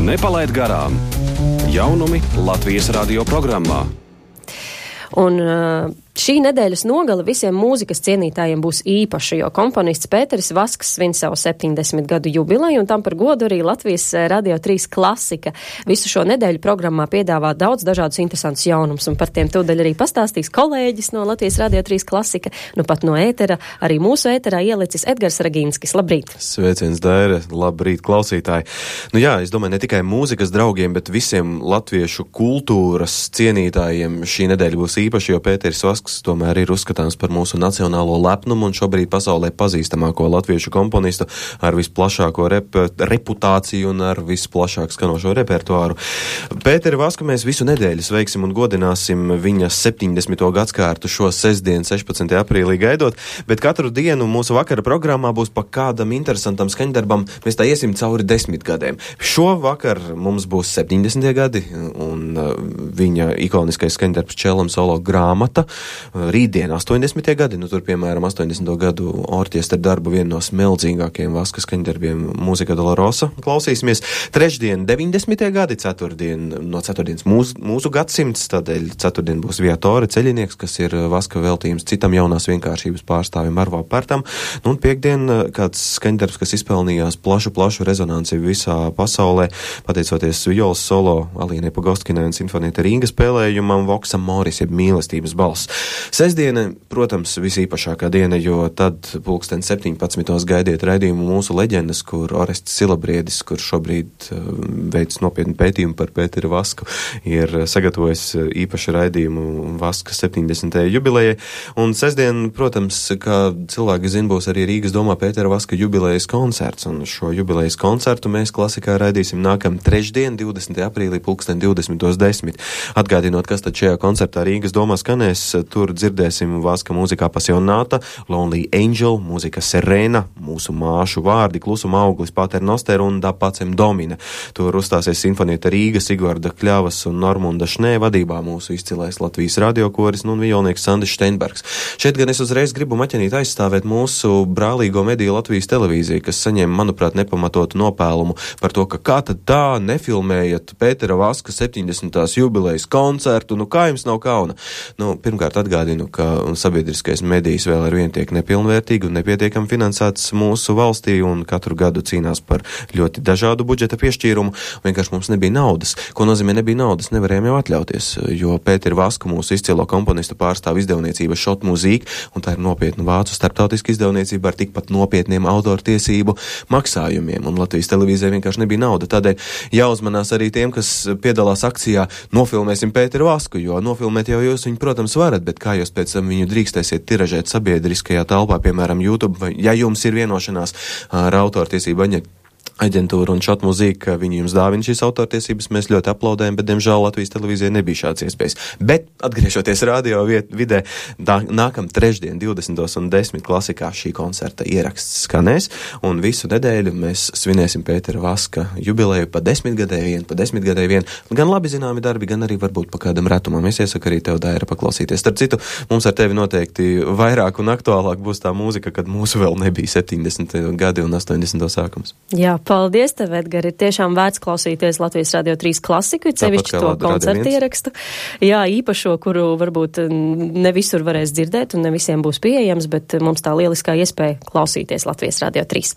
Nepalaid garām jaunumi Latvijas radio programmā. Un šī nedēļas nogale visiem mūzikas cienītājiem būs īpaša, jo komponists Pēteris Vasks svin savu 70 gadu jubileju, un tam par godu arī Latvijas Radio 3 klasika visu šo nedēļu programmā piedāvā daudz dažādus interesantus jaunumus, un par tiem tūdaļ arī pastāstīs kolēģis no Latvijas Radio 3 klasika, nu pat no ētera, arī mūsu ēterā ielicis Edgars Ragīnskis. Labrīt! Sveiciens, Daire! Labrīt, klausītāji! Nu jā, es domāju, ne tikai mūzikas draugiem, bet visiem latviešu kultūras cienītājiem šī nedēļa būs īpaši, jo Pēteris Vasks tomēr ir uzskatāms par mūsu nacionālo lepnumu un šobrīd pasaulē pazīstamāko latviešu komponistu ar visplašāko reputāciju un ar visplašāk skanošo repertuāru. Pēteri Vasku mēs visu nedēļu sveiksim un godināsim viņa 70. gadskārtu šo sestdienu 16. aprīlī gaidot, bet katru dienu mūsu vakara programmā būs pa kādam interesantam skaņdarbam, mēs tā iesim cauri 10 gadiem. Šo vakar mums būs 70. gadi un viņa ikoniskais skaņdarbs Čelam solo grāmata. Rītdien 80. gadi, nu tur piemēram 80. gadu orķestra darbu vienu no smeldzīgākajiem Vaska skaņdarbiem Mūzika Dolorosa klausīsimies. Trešdien 90. gadi, ceturtdienas mūsu gadsimts, tādēļ ceturtdien būs Viatore ceļinieks, kas ir Vaska veltījums citam jaunās vienkāršības pārstāvim Arvo Pērtam, nu un piekdien kāds skaņdarbs, kas izpelnījās plašu rezonanci visā pasaulē, pateicoties violas solo Alīnai Pogoskinai un Sinfonieta Rīga spēlējumam Voksam Moris, jeb mīlestības balss. Sestdiena, protams, visīpašākā diena, jo tad pulksten 17. gaidiet raidījumu Mūsu leģendas, kur Orests Silabriedis, kurš šobrīd veic nopietnu pētījumu par Pēteri Vasku, ir sagatavojis īpašu raidījumu Vaska 70. jubilejai. Un sestdien, protams, kā cilvēki zina, būs arī Rīgas domā Pētera Vaska jubilejas koncerts, un šo jubilejas koncertu mēs klasikā raidīsim nākam trešdien, 20. aprīlī, pulksten 20:10. Atgādinot, kas tad šajā koncertā Rīgas domā skanēs, tur dzirdēsim Vaska mūzikā Pasionāta, Lonely Angel, mūzika Serena, mūsu māšu vārdi, Klusuma auglis, Pater Noster un Da Pacem Domine. Tur uzstāsies Sinfonieta Rīga, Sigvarda Kļavas un Normunda Šnē vadībā mūsu izcilais Latvijas radiokoris un violnieks Sandis Steinbergs. Šeit gan es uzreiz gribu maķenīt aizstāvēt mūsu brālīgo mediju Latvijas televīziju, kas saņēma, manuprāt, nepamatotu nopēlumu par to, ka kā tad tā nefilmējat Pētera Vaska 70. jubilejas koncertu, nu kā jums nav kauna? Nu, pirmkārt atgādinu, ka sabiedriskais medijs vēl ar vien tiek nepilnvērtīgi un nepietiekami finansēts mūsu valstī un katru gadu cīnās par ļoti dažādu budžeta piešķīrumu. Vienkārši mums nebija naudas. Ko nozīmē nebija naudas? Nevarējām jau atļauties, jo Pēteri Vasku mūsu izcilo komponistu pārstāv izdevniecība Šot Mūzīk, un tā ir nopietna vācu starptautiska izdevniecība ar tikpat nopietniem autortiesību maksājumiem, un Latvijas televīzijai vienkārši nebija nauda. Tādēļ jāuzmanās arī tiem, kas piedalās akcijā Nofilmēsim Pēteri Vasku, jo nofilmēt jau jūs viņu, protams, varat, bet kā jūs pēc tam viņu drīkstēsiet tiražēt sabiedriskajā telpā, piemēram, YouTube, vai ja jums ir vienošanās ar autortiesību aģentūra un Šot Mūzīk, ka viņi jums dāvina šīs autortiesības, mēs ļoti aplaudējam, bet, diemžēl, Latvijas televīzijai nebija šāds iespējas. Bet, atgriežoties radio vidē, nākam trešdien 20:10 klasikā šī koncerta ieraksts skanēs, un visu nedēļu mēs svinēsim Pētera Vaska jubileju pa 10 gadēju vien, gan labi zināmi darbi, gan arī varbūt pa kādam retumam. Es iesaku arī tev, Daira, paklausīties. Starp citu, mums ar tevi noteikti vairāk un aktuālāk būs tā mūzika, kad mūsu vēl nebija 70. gadi un 80. sākums. Jā, paldies tev, Edgar. Ir tiešām vērts klausīties Latvijas Radio 3 klasiku, sevišķi to koncertu ierakstu. Jā, īpašo, kuru varbūt ne visur varēs dzirdēt un ne visiem būs pieejams, bet mums tā lieliskā iespēja klausīties Latvijas Radio 3.